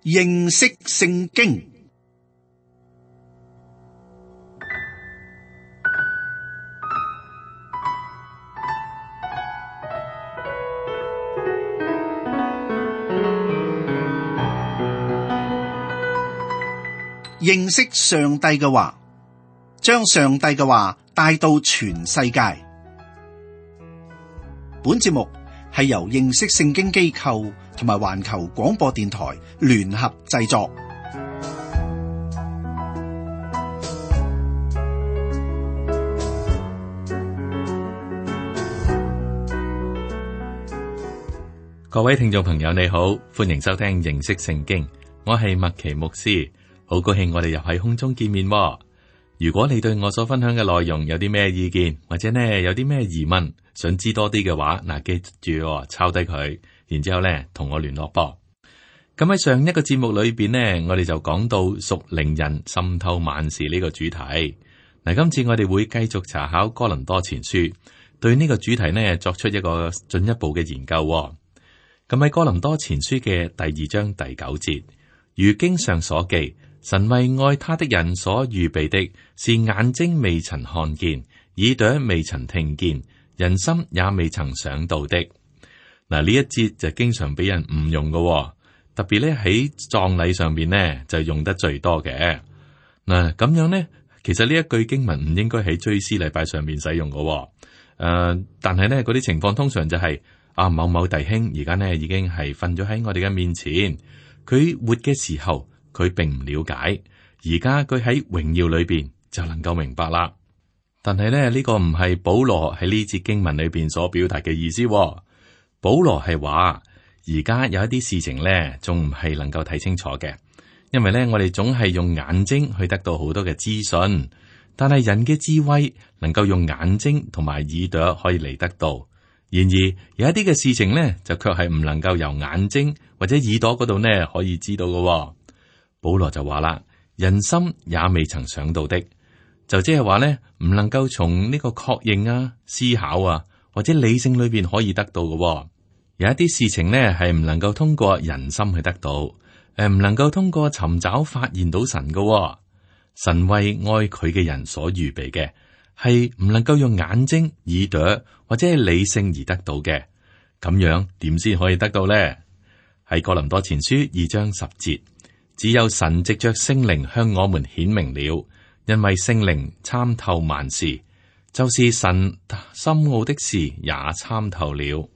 認識聖經。認識上帝嘅話，將上帝嘅話帶到全世界。本節目係由認識聖經機構同埋環球廣播電台聯合製作。各位聽眾朋友，你好，歡迎收聽認識聖經，我係麥奇牧師。好高興我哋又喺空中見面喎。如果你對我所分享嘅內容有啲咩意見，或者呢有啲咩疑問，想知多啲嘅話，嗱，記住抄低佢，然之後呢同我聯絡噃。咁喺上一個節目裏邊呢，我哋就講到屬靈人滲透萬事呢個主題。嗱，今次我哋會繼續查考哥林多前書，對呢個主題呢作出一個進一步嘅研究喎。咁喺哥林多前書嘅第2章第9節，如經上所記。神為愛他的人所預備的，是眼睛未曾看見，耳朵未曾聽見，人心也未曾想到的。嗱，呢一節就經常俾人誤用嘅，特別咧喺葬禮上邊呢就用得最多嘅。嗱，咁樣呢，其實呢一句經文唔應該喺追思禮拜上面使用嘅。但係呢嗰啲情況通常就係某某弟兄而家呢已經係瞓咗喺我哋嘅面前，佢活嘅時候。佢並唔了解，而家佢喺榮耀裏邊就能夠明白啦。但係咧呢個唔係保羅喺呢節經文裏邊所表達嘅意思。保羅係話而家有一啲事情咧，仲唔係能夠睇清楚嘅，因為咧我哋總係用眼睛去得到好多嘅資訊，但係人嘅智慧能夠用眼睛同埋耳朵可以嚟得到。然而有一啲嘅事情咧，就卻係唔能夠由眼睛或者耳朵嗰度呢可以知道嘅。保羅就話啦，人心也未曾想到的，就即係話咧，唔能夠從呢個確認啊、思考啊或者理性裏邊可以得到嘅。有一啲事情呢係唔能夠通過人心去得到，唔能夠通過尋找發現到神嘅。神為愛佢嘅人所預備嘅，係唔能夠用眼睛、耳朵或者係理性而得到嘅。咁樣點先可以得到呢？喺哥林多前書2章10節。只有神藉着聖靈向我們顯明了，因為聖靈參透萬事，就是神深奧的事也參透了。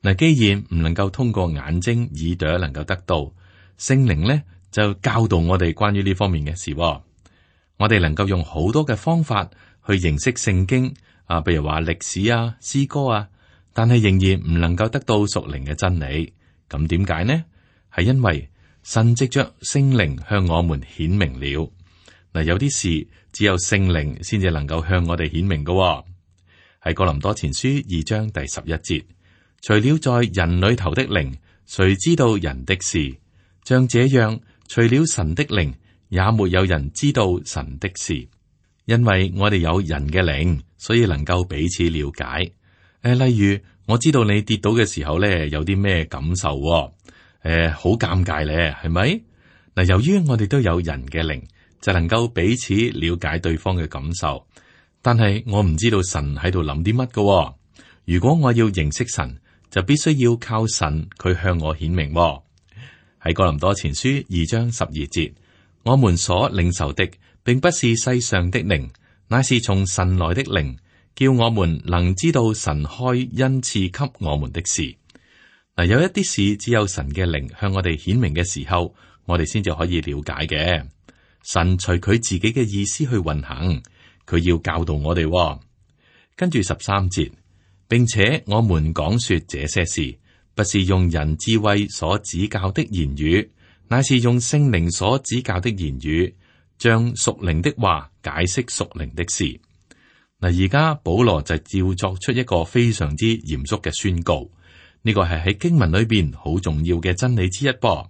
嗱，既然唔能夠通過眼睛、耳朵能夠得到，聖靈呢就教導我哋關於呢方面嘅事。我哋能夠用好多嘅方法去認識聖經啊，譬如話歷史啊、詩歌啊，但係仍然唔能夠得到屬靈嘅真理。咁點解呢？係因為神藉着聖靈向我們顯明了。嗱，有啲事只有聖靈先至能夠向我哋顯明嘅。喺哥林多前書2章第11節，除了在人裏頭的靈，誰知道人的事？像這樣，除了神的靈，也沒有人知道神的事。因為我哋有人嘅靈，所以能夠彼此了解。例如我知道你跌倒嘅時候咧，有啲咩感受？好尷尬咧，係咪？嗱，由於我哋都有人嘅靈，就能夠彼此了解對方嘅感受。但係我唔知道神喺度諗啲乜㗎。如果我要認識神，就必須要靠神，佢向我顯明。喺哥林多前書2章12節，我們所領受的，並不是世上的靈，乃是從神來的靈，叫我們能知道神開恩賜給我們的事。嗱，有一啲事只有神嘅靈向我哋顯明嘅時候，我哋先至可以了解嘅。神隨佢自己嘅意思去運行，佢要教導我哋。跟住13節，並且我們講說這些事，不是用人智慧所指教的言語，乃是用聖靈所指教的言語，將屬靈的話解釋屬靈的事。嗱，而家保羅就照作出一個非常之嚴肅嘅宣告。呢個係喺經文裏邊好重要嘅真理之一噃。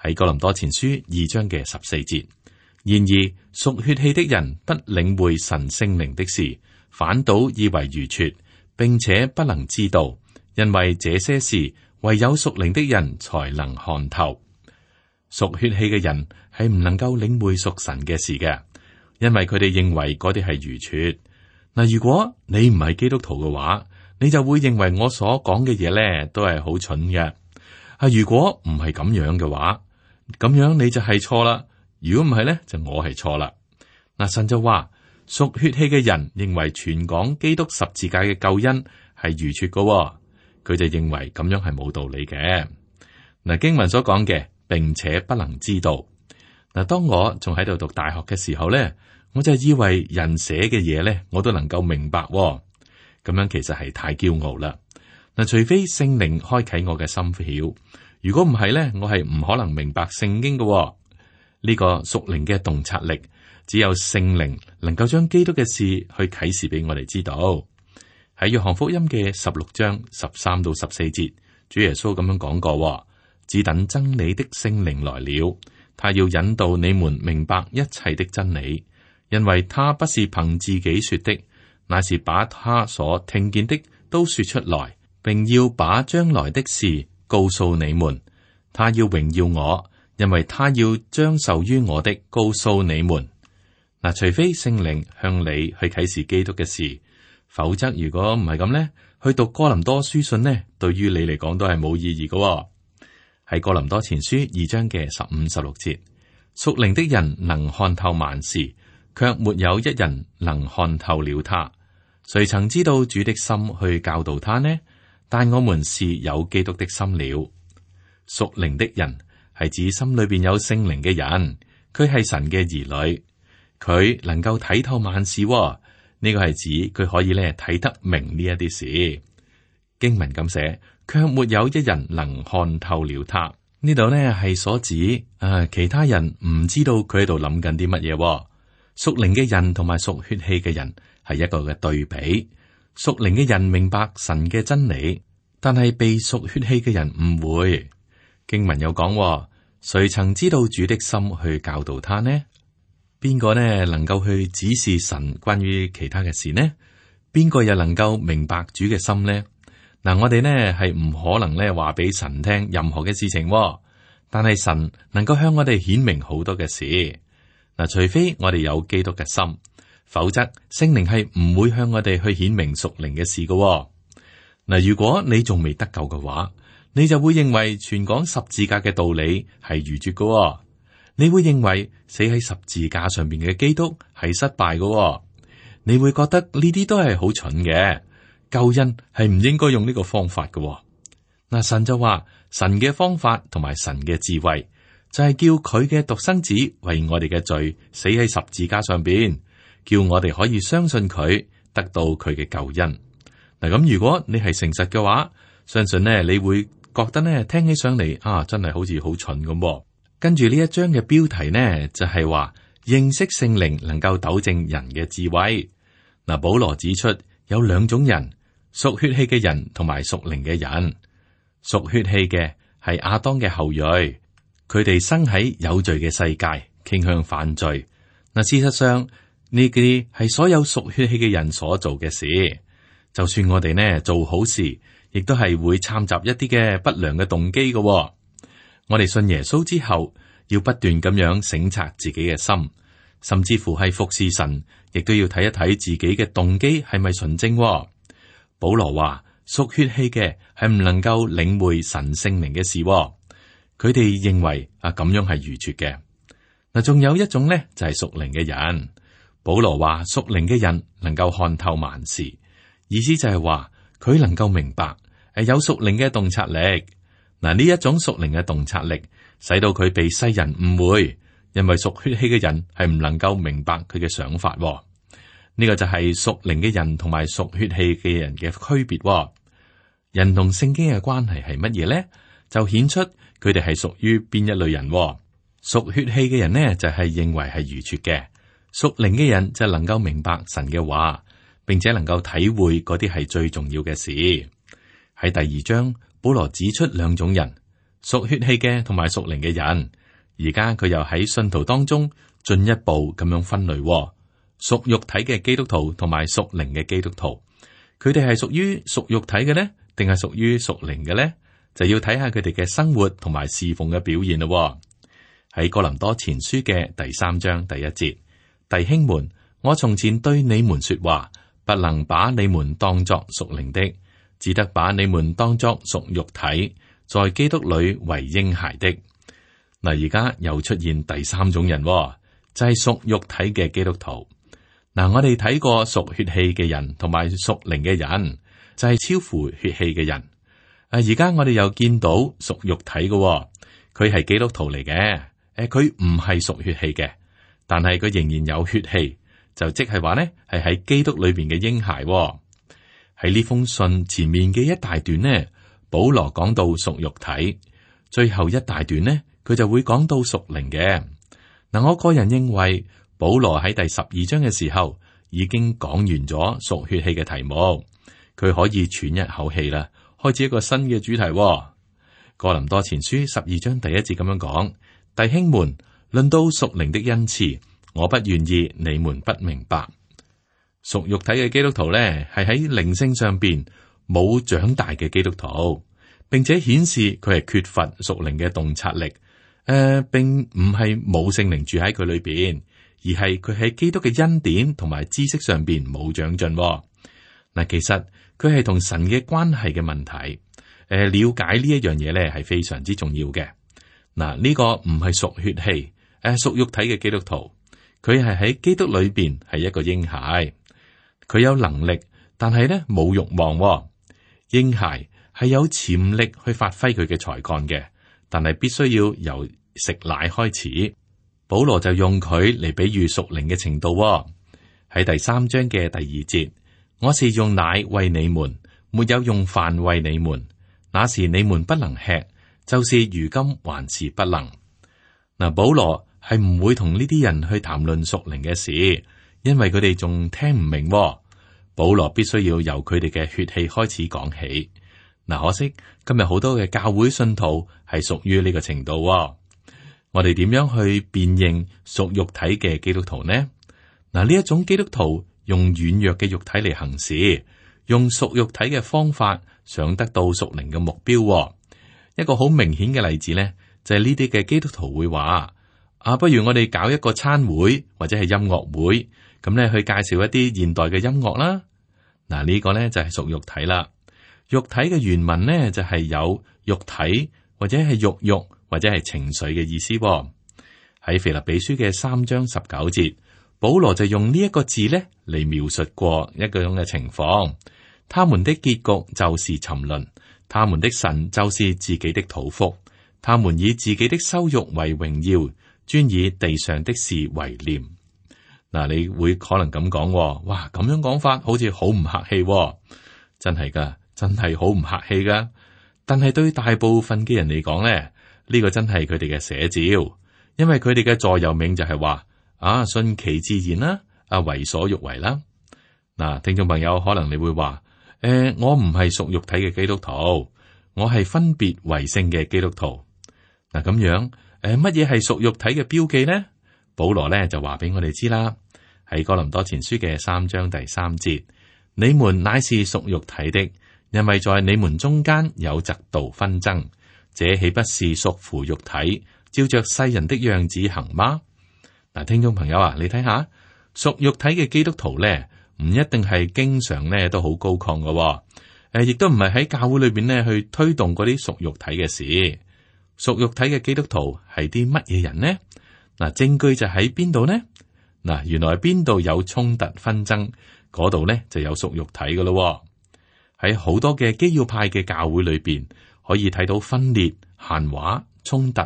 喺哥林多前書2章嘅14節，然而屬血氣的人不領會神聖靈的事，反倒以為愚拙，並且不能知道，因為這些事唯有屬靈的人才能看透。屬血氣嘅人係唔能夠領會屬神嘅事嘅，因為佢哋認為嗰啲係愚拙。嗱，如果你唔係基督徒嘅話，你就會認為我所講嘅嘢咧都係好蠢嘅。如果唔係咁樣嘅話，咁樣你就係錯啦。如果唔係咧，就我係錯啦。嗱，神就話屬血氣嘅人認為傳講基督十字架嘅救恩係愚拙嘅，佢就認為咁樣係冇道理嘅。嗱，經文所講嘅，並且不能知道。嗱，當我仲喺度讀大學嘅時候咧，我就以為人寫嘅嘢咧，我都能夠明白。咁樣其實係太驕傲啦。嗱，除非聖靈開啟我嘅心竅，如果唔係咧，我係唔可能明白聖經嘅。呢個屬靈嘅洞察力，只有聖靈能夠將基督嘅事去啟示俾我哋知道。喺約翰福音嘅16章13到14節，主耶穌咁樣講過：只等真理的聖靈來了，他要引導你們明白一切的真理，因為他不是憑自己說的，乃是把他所聽見的都說出來，並要把將來的事告訴你們。他要榮耀我，因為他要將受於我的告訴你們。嗱，除非聖靈向你去啟示基督嘅事，否則如果唔係咁呢，去讀哥林多書信呢，對於你嚟講都係冇意義嘅。喺哥林多前書2章嘅15、16節，屬靈的人能看透萬事，卻沒有一人能看透了他。誰曾知道主的心去教導他呢？但我們是有基督的心了。屬靈的人係指心裏邊有聖靈嘅人，佢係神嘅兒女，佢能夠睇透萬事。呢個係指佢可以咧睇得明呢一啲事。經文咁寫，卻沒有一人能看透了他。呢度呢係所指其他人唔知道佢喺度諗緊啲乜嘢。屬靈嘅人同埋屬血氣嘅人係一個嘅對比。屬靈嘅人明白神嘅真理，但係被屬血氣嘅人誤會。經文有講，誰曾知道主的心去教導他呢？邊個呢能夠去指示神關於其他嘅事呢？邊個又能夠明白主嘅心呢？嗱，我哋呢係唔可能呢話俾神聽任何嘅事情，但係神能夠向我哋顯明好多嘅事。嗱，除非我哋有基督嘅心，否則聖靈係唔會向我哋去顯明屬靈嘅事嘅。嗱，如果你仲未得救嘅話，你就會認為傳講十字架嘅道理係愚拙嘅。你會認為死喺十字架上邊嘅基督係失敗嘅。你會覺得呢啲都係好蠢嘅，救恩係唔應該用呢個方法嘅。嗱，神就話神嘅方法同埋神嘅智慧就係叫佢嘅獨生子為我哋嘅罪死喺十字架上邊，叫我哋可以相信佢，得到佢嘅救恩。嗱，咁如果你係誠實嘅話，相信呢你會覺得呢聽起上嚟真係好似好蠢咁。跟住呢一章嘅標題呢，就係話認識聖靈能夠糾正人嘅智慧。嗱，保羅指出有兩種人，屬血氣嘅人同埋屬靈嘅人。屬血氣嘅係亞當嘅後裔，佢哋生喺有罪嘅世界，傾向犯罪。嗱，事實上呢啲係所有屬血氣嘅人所做嘅事。就算我哋呢做好事，亦都係會摻雜一啲嘅不良嘅動機嘅。我哋信耶穌之後，要不斷咁樣省察自己嘅心，甚至乎係服侍神，亦都要睇一睇自己嘅動機係咪純正。保羅話屬血氣嘅係唔能夠領會神聖靈嘅事，佢哋認為咁樣係愚拙嘅。嗱，仲有一種呢，就係屬靈嘅人。保羅話屬靈嘅人能夠看透萬事，意思就係話佢能夠明白，有屬靈嘅洞察力。嗱，呢一種屬靈嘅洞察力，使到佢被世人誤會，因為屬血氣嘅人係唔能夠明白佢嘅想法。呢個就係屬靈嘅人同埋屬血氣嘅人嘅區別。人同聖經嘅關係係乜嘢呢？就顯出佢哋係屬於邊一類人。屬血氣嘅人呢，就係認為係愚拙嘅；屬靈嘅人就能夠明白神嘅話，並且能夠體會嗰啲係最重要嘅事。喺第2章。保羅指出兩種人，屬血氣嘅同埋屬靈嘅人。而家佢又喺信徒當中進一步咁樣分類，屬肉體嘅基督徒同埋屬靈嘅基督徒。佢哋係屬於屬肉體嘅呢，定係屬於屬靈嘅呢？就要睇下佢哋嘅生活同埋侍奉嘅表現咯。喺哥林多前書嘅第3章第1節，弟兄們，我從前對你們說話，不能把你們當作屬靈的，只得把你們當作屬肉體，在基督裏為嬰孩的。嗱，而家又出現第3種人，就係屬肉體嘅基督徒。嗱，我哋睇過屬血氣嘅人同埋屬靈嘅人，就係超乎血氣嘅人。而家我哋又見到屬肉體嘅，佢係基督徒嚟嘅。佢唔係屬血氣嘅，但係佢仍然有血氣，就即係話呢係喺基督裏邊嘅嬰孩。喺呢封信前面嘅一大段呢，保羅講到屬肉體，最後一大段呢，佢就會講到屬靈嘅。嗱，我個人認為保羅喺第12章嘅時候已經講完咗屬血氣嘅題目，佢可以喘一口氣啦，開始一個新嘅主題。哥林多前書12章第1節咁樣講。弟兄們，論到屬靈的恩賜，我不願意你們不明白。屬肉體嘅基督徒咧，係喺靈性上邊冇長大嘅基督徒，並且顯示佢係缺乏屬靈嘅洞察力。並唔係冇聖靈住喺佢裏邊，而係佢喺基督嘅恩典同埋知識上邊冇長進。嗱，其實佢係同神嘅關係嘅問題。了解呢一樣嘢咧，係非常之重要嘅。嗱，呢個唔係屬血氣，屬肉體嘅基督徒，佢係喺基督裏邊係一個嬰孩，佢有能力，但係咧冇慾望。嬰孩係有潛力去發揮佢嘅才幹嘅，但係必須要由食奶開始。保羅就用佢嚟比喻屬靈嘅程度。喺第3章嘅第2節，我是用奶餵你們，沒有用飯餵你們，那時你們不能吃。就是如今還是不能。嗱，保羅係唔會同呢啲人去談論屬靈嘅事，因為佢哋仲聽唔明。保羅必須要由佢哋嘅血氣開始講起。嗱，可惜今日好多嘅教會信徒係屬於呢個程度。我哋點樣去辨認屬肉體嘅基督徒呢？嗱，呢一種基督徒用軟弱嘅肉體嚟行事，用屬肉體嘅方法想得到屬靈嘅目標。一個好明顯嘅例子呢，就係呢啲嘅基督徒會話：不如我哋搞一個餐會或者係音樂會，咁咧去介紹一啲現代嘅音樂啦。嗱，呢個呢就係屬肉體啦。肉體嘅原文呢就係有肉體或者係肉慾或者係情緒嘅意思。喺腓立比書嘅3章19節，保羅就用呢一個字呢嚟描述過一個咁嘅情況。他們的結局就是沉淪。他們的神就是自己的肚腹，他們以自己的羞辱為榮耀，專以地上的事為念。嗱，你會可能咁講，哇，咁樣講法好似好唔客氣，真係噶，真係好唔客氣噶。但係對大部分嘅人嚟講咧，呢個真係佢哋嘅寫照，因為佢哋嘅座右銘就係話順其自然啦，為所欲為啦。嗱，聽眾朋友，可能你會話。我唔係屬肉體嘅基督徒，我係分別為聖嘅基督徒。嗱，咁樣，乜嘢係屬肉體嘅標記呢？保羅咧就話俾我哋知啦，喺哥林多前書嘅3章第3節，你們乃是屬肉體的，因為在你們中間有嫉妒紛爭，這豈不是屬乎肉體，照着世人的樣子行嗎？嗱，聽眾朋友啊，你睇下屬肉體嘅基督徒咧。唔一定係經常咧都好高亢嘅，亦都唔係喺教會裏邊咧去推動嗰啲屬肉體嘅事。屬肉體嘅基督徒係啲乜嘢人呢？嗱，證據就喺邊度呢？嗱，原來邊度有衝突紛爭，嗰度咧就有屬肉體嘅咯。喺好多嘅基要派嘅教會裏邊，可以睇到分裂、閒話、衝突、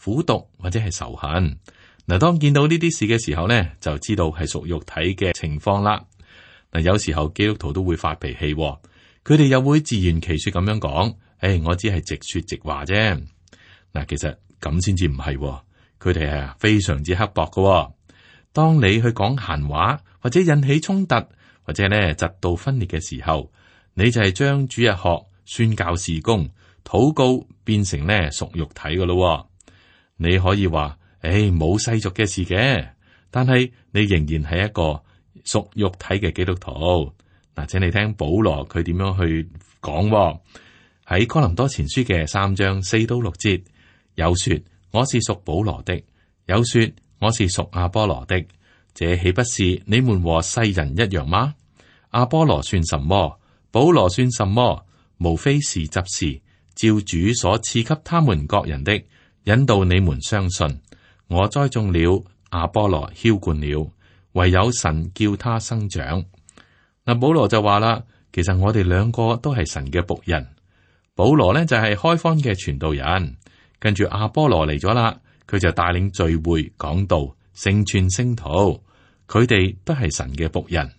苦毒或者係仇恨。嗱，當見到呢啲事嘅時候咧，就知道係屬肉體嘅情況啦。嗱，有時候基督徒都會發脾氣，佢哋又會自圓其說咁樣講：我只係直說直話啫。嗱，其實咁先至唔係，佢哋係非常之刻薄嘅。當你去講閒話或者引起衝突或者咧嫉妒分裂嘅時候，你就係將主日學、宣教事工、禱告變成咧屬肉體嘅咯。你可以話：冇世俗嘅事嘅，但係你仍然係一個屬肉體嘅基督徒。嗱，請你聽保羅佢點樣去講。喺哥林多前書嘅3章4到6節，有說：我是屬保羅的，有說我是屬亞波羅的，這豈不是你們和世人一樣嗎？亞波羅算什麼？保羅算什麼？無非是執事，照主所賜給他們各人的，引導你們相信。我栽種了，亞波羅澆灌了，唯有神叫他生長。嗱，保羅就話啦，其實我哋兩個都係神嘅僕人。保羅呢就係開荒嘅傳道人，跟住亞波羅嚟咗啦，佢就帶領聚會講道，成全聖徒。佢哋都係神嘅僕人。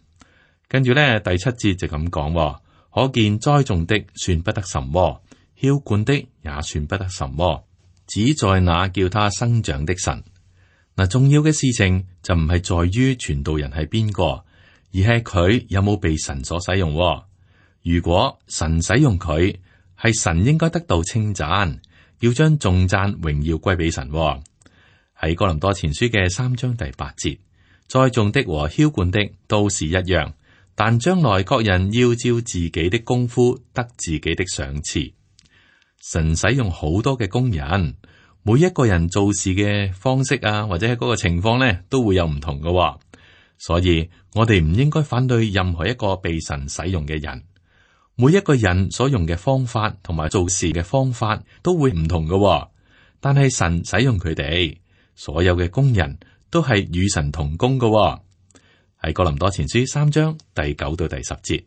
跟住呢第7節就咁講，可見栽種的算不得什麼，澆灌的也算不得什麼，只在那叫他生長的神。嗱，重要嘅事情就唔係在於傳道人係邊個，而係佢有冇被神所使用。如果神使用佢，係神應該得到稱讚，要將頌讚榮耀歸俾神。喺哥林多前書嘅3章第8節，栽種的和澆灌的都是一樣，但將來各人要照自己的功夫得自己的賞賜。神使用好多嘅工人，每一個人做事嘅方式啊，或者係嗰個情況呢，都會有唔同嘅。所以我哋唔應該反對任何一個被神使用嘅人。每一個人所用嘅方法同埋做事嘅方法都會唔同嘅，但係神使用佢哋，所有嘅工人都係與神同工嘅。喺哥林多前書3章第9到第10節，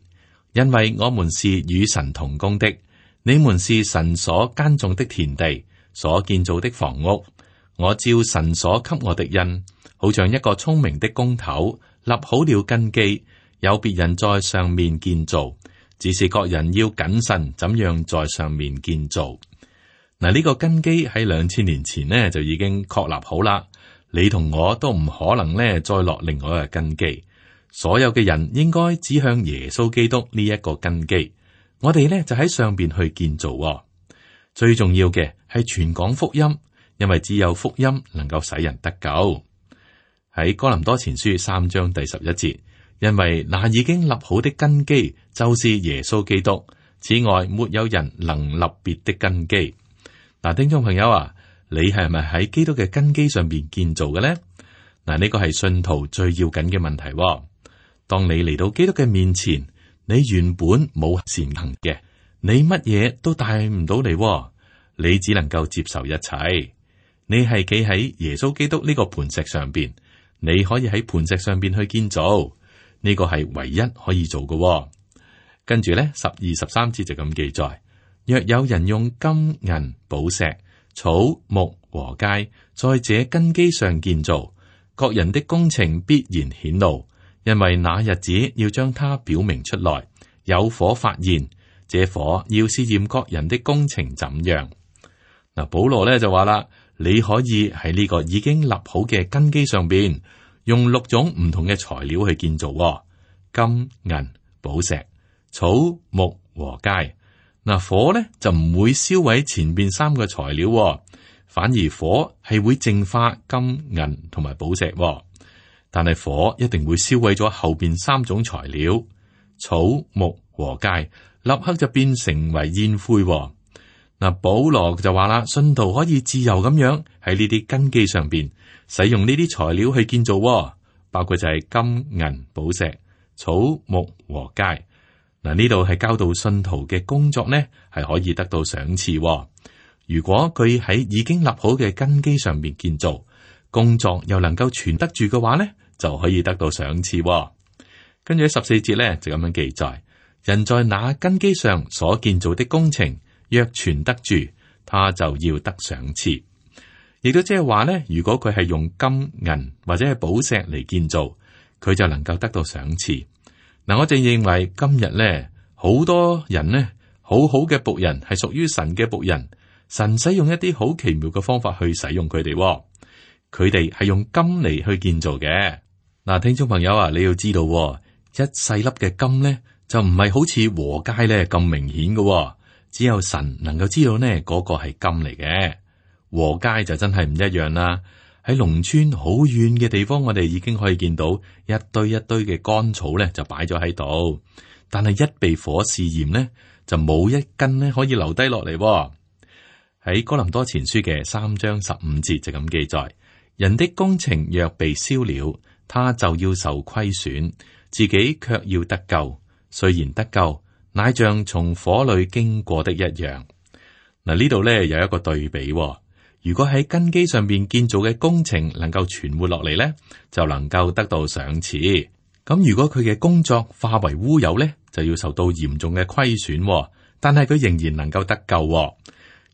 因為我們是與神同工的，你們是神所耕種的田地，所建造的房屋。我照神所給我的恩，好像一個聰明的工頭，立好了根基，有別人在上面建造，只是各人要謹慎怎樣在上面建造。嗱，呢個根基喺2000年前呢就已經確立好啦。你同我都唔可能呢再落另外一個根基。所有嘅人應該指向耶穌基督呢一個根基。我哋呢就喺上邊去建造。最重要嘅係傳講福音，因為只有福音能夠使人得救。喺哥林多前書3章第11節，因為那已經立好的根基就是耶穌基督，此外沒有人能立別的根基。嗱，聽眾朋友啊，你係咪喺基督嘅根基上邊建造嘅呢？嗱，呢個係信徒最要緊嘅問題。當你嚟到基督嘅面前，你原本冇善行嘅，你乜嘢都帶唔到嚟，你只能夠接受一切。你係企喺耶穌基督呢個磐石上邊，你可以喺磐石上邊去建造，呢個係唯一可以做嘅。跟住咧12、13節就咁記載：若有人用金銀寶石、草木禾秸，在這根基上建造，各人的工程必然顯露。因為那日子要將它表明出來，有火發現，這火要試驗各人的工程怎樣。嗱，保羅咧就話啦，你可以喺呢個已經立好嘅根基上邊，用6種唔同嘅材料去建造，金銀寶石、草木禾秸。嗱，火咧就唔會燒毀前邊3個材料，反而火係會淨化金銀同埋寶石。但係火一定會燒毀咗後邊3種材料，草木禾秸，立刻就變成為煙灰。嗱，保羅就話啦，信徒可以自由咁樣喺呢啲根基上邊使用呢啲材料去建造，包括就係金銀寶石、草木禾秸。嗱，呢度係教導信徒嘅工作呢，係可以得到賞賜。如果佢喺已經立好嘅根基上邊建造，工作又能夠存得住嘅話呢，就可以得到賞賜。跟住喺14節咧就咁樣記載：人在那根基上所建造的工程，若存得住，他就要得賞賜。亦都即係話咧，如果佢係用金銀或者係寶石嚟建造，佢就能夠得到賞賜。嗱，我正認為今日咧，好多人呢，好好嘅僕人係屬於神嘅僕人，神使用一啲好奇妙嘅方法去使用佢哋。佢哋係用金嚟去建造嘅。嗱，聽眾朋友啊，你要知道，一細粒嘅金咧，就唔係好似禾秸咧咁明顯嘅，只有神能夠知道呢嗰個係金嚟嘅。禾秸就真係唔一樣啦。喺農村好遠嘅地方，我哋已經可以見到一堆一堆嘅乾草咧，就擺咗喺度。但係一被火試驗咧，就冇一根咧可以留低落嚟。喺哥林多前書嘅3章15節就咁記載。人的工程若被燒了，他就要受虧損，自己卻要得救。雖然得救，乃像從火裏經過的一樣。嗱，呢度咧有一個對比喎。如果喺根基上邊建造嘅工程能夠存活落嚟咧，就能夠得到賞賜。咁如果佢嘅工作化為烏有咧，就要受到嚴重嘅虧損喎。但係佢仍然能夠得救喎。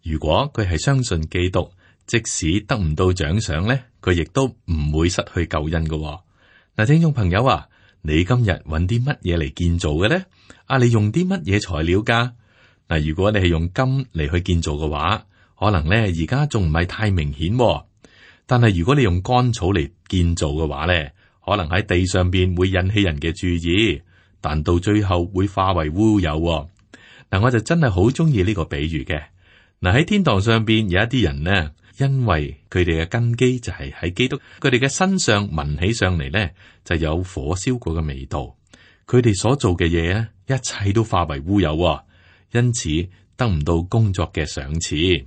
如果佢係相信基督，即使得唔到獎賞咧，佢亦都唔會失去救恩㗎喎。嗱，聽眾朋友啊，你今日揾啲乜嘢嚟建造嘅咧？你用啲乜嘢材料噶？嗱，如果你係用金嚟去建造嘅話，可能咧而家仲唔係太明顯喎。但係如果你用乾草嚟建造嘅話咧，可能喺地上邊會引起人嘅注意，但到最後會化為烏有喎。嗱，我就真係好中意呢個比喻嘅。嗱，喺天堂上邊有一啲人呢，因為佢哋嘅根基就係喺基督，佢哋嘅身上聞起上嚟呢，就有火燒過嘅味道。佢哋所做嘅嘢咧，一切都化為烏有喎，因此得唔到工作嘅賞賜。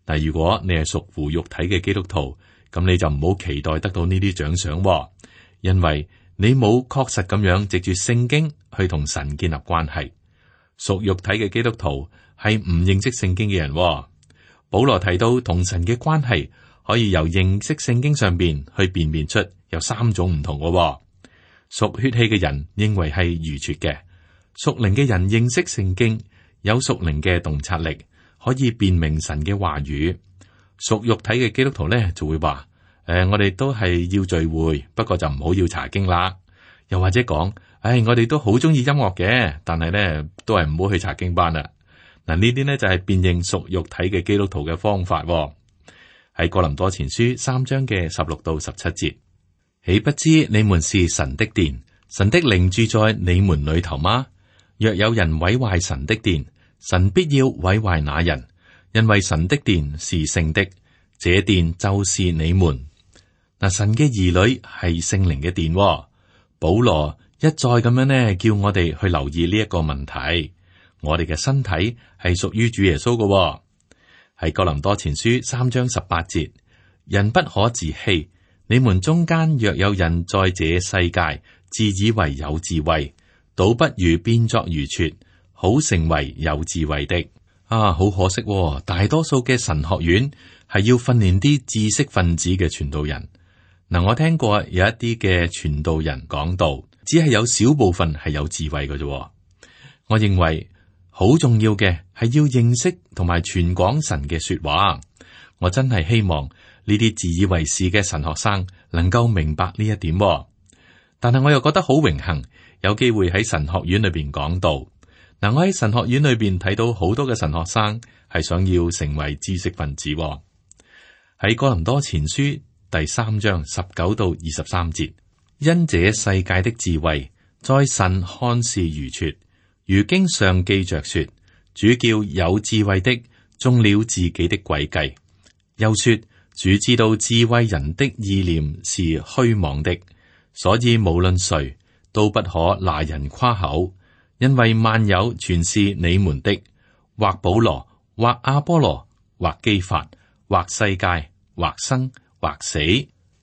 但如果你係屬乎肉體嘅基督徒，咁你就唔好期待得到呢啲獎賞喎，因為你冇確實咁樣藉住聖經去同神建立關係。屬肉體嘅基督徒係唔認識聖經嘅人喎。保羅提到同神嘅關係可以由認識聖經上邊去辨別出有三種唔同嘅喎。屬血氣嘅人認為係愚拙嘅，屬靈嘅人認識聖經，有屬靈嘅洞察力，可以辨明神嘅話語。屬肉體嘅基督徒咧就會話：我哋都係要聚會，不過就唔好要查經啦。又或者講：我哋都好中意音樂嘅，但係咧都係唔好去查經班啦。嗱，呢啲呢就係辨認屬肉體嘅基督徒嘅方法喎。喺哥林多前書3章嘅16到17節。豈不知你們是神的殿，神的靈住在你們裏頭嗎？若有人毀壞神的殿，神必要毀壞那人，因為神的殿是聖的，這殿就是你們。嗱，神嘅兒女係聖靈嘅殿喎。保羅一再咁樣呢，叫我哋去留意呢一個問題。我哋嘅身體係屬於主耶穌嘅喎。喺哥林多前書3章18節，人不可自欺。你們中間若有人在這世界自以為有智慧，倒不如變作愚拙，好成為有智慧的。好可惜喎，大多數嘅神學院係要訓練啲知識分子嘅傳道人。嗱，我聽過有一啲嘅傳道人講道，只係有少部分係有智慧嘅啫。我認為好重要嘅係要認識同埋傳講神嘅說話。我真係希望呢啲自以為是嘅神學生能夠明白呢一點，但係我又覺得好榮幸有機會喺神學院裏邊講道。嗱，我喺神學院裏邊睇到好多嘅神學生係想要成為知識分子。喺哥林多前書第3章19到23節，因這世界的智慧在神看是愚拙，如經上記着說，主叫有智慧的中了自己的詭計。又說，主知道智慧人的意念是虛妄的，所以無論誰都不可拿人誇口，因為萬有全是你們的，或保羅，或阿波羅，或基法，或世界，或生，或死，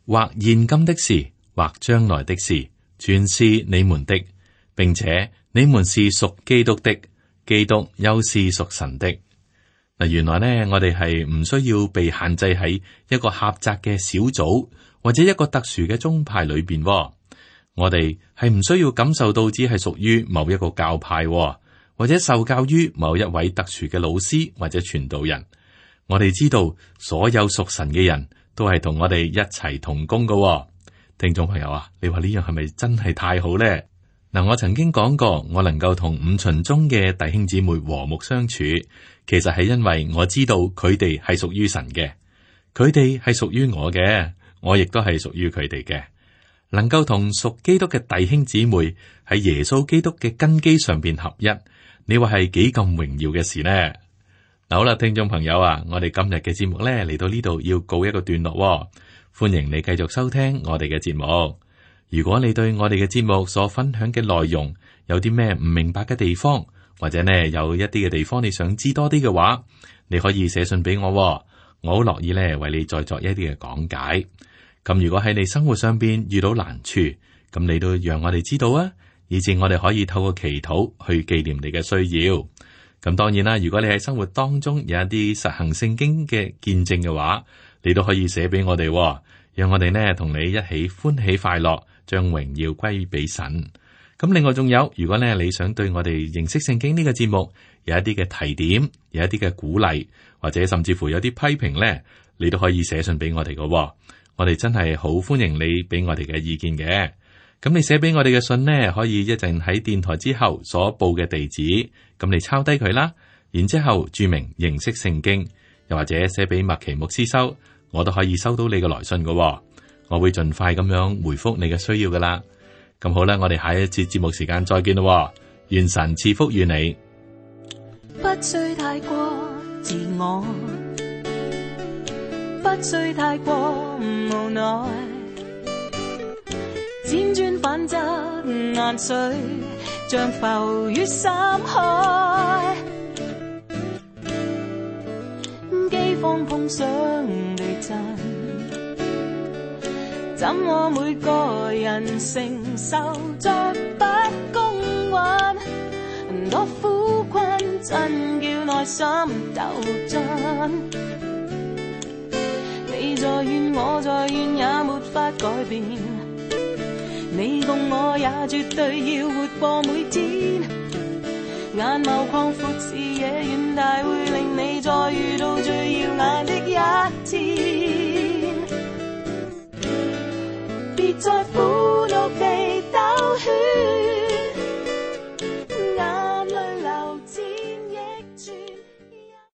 或現今的事，或將來的事，全是你們的，並且你們是屬基督的，基督又是屬神的。嗱，原來呢，我哋係唔需要被限制喺一個狹窄嘅小組或者一個特殊嘅宗派裏邊。我哋係唔需要感受到只係屬於某一個教派，或者受教於某一位特殊嘅老師或者傳道人。我哋知道所有屬神嘅人都係同我哋一齊同工嘅。聽眾朋友啊，你話呢樣係咪真係太好呢？嗱，我曾經講過，我能夠同五旬宗嘅弟兄姊妹和睦相處，其實係因為我知道佢哋係屬於神嘅，佢哋係屬於我嘅，我亦都係屬於佢哋嘅。能夠同屬基督嘅弟兄姊妹喺耶穌基督嘅根基上邊合一，你話係幾咁榮耀嘅事呢？嗱，好啦，聽眾朋友啊，我哋今日嘅節目咧嚟到呢度要告一個段落，歡迎你繼續收聽我哋嘅節目。如果你對我哋嘅節目所分享嘅內容有啲咩唔明白嘅地方，或者呢有一啲嘅地方你想知多啲嘅話，你可以寫信俾我，我好樂意咧為你再作一啲嘅講解。咁如果喺你生活上邊遇到難處，咁你都讓我哋知道啊，以致我哋可以透過祈禱去紀念你嘅需要。咁當然啦，如果你喺生活當中有一啲實行聖經嘅見證嘅話，你都可以寫俾我哋，讓我哋呢同你一起歡喜快樂，將榮耀歸俾神。咁另外仲有，如果呢你想對我哋認識聖經呢個節目有一啲嘅提點，有一啲嘅鼓勵，或者甚至乎有啲批評呢，你都可以寫信俾我哋嘅。我哋真係好歡迎你俾我哋嘅意見嘅。咁你寫俾我哋嘅信呢，可以一陣喺電台之後所報嘅地址，咁你抄低佢啦，然之後注明認識聖經，又或者寫俾麥奇牧師收，我都可以收到你嘅來信嘅。我會盡快咁樣回覆你嘅需要噶啦。咁好啦，我哋下一次節目時間再見咯。願神賜福於你。不需太過自我，不需太過無奈，輾轉反側眼水像浮於深海，饑荒碰上地震，怎麼每個人承受着不公允，多苦困真叫內心鬥爭，你在怨我在怨也沒法改變，你共我也絕對要活過每天，眼眸擴闊視野遠大，會令你再遇到最耀眼的一天，別再苦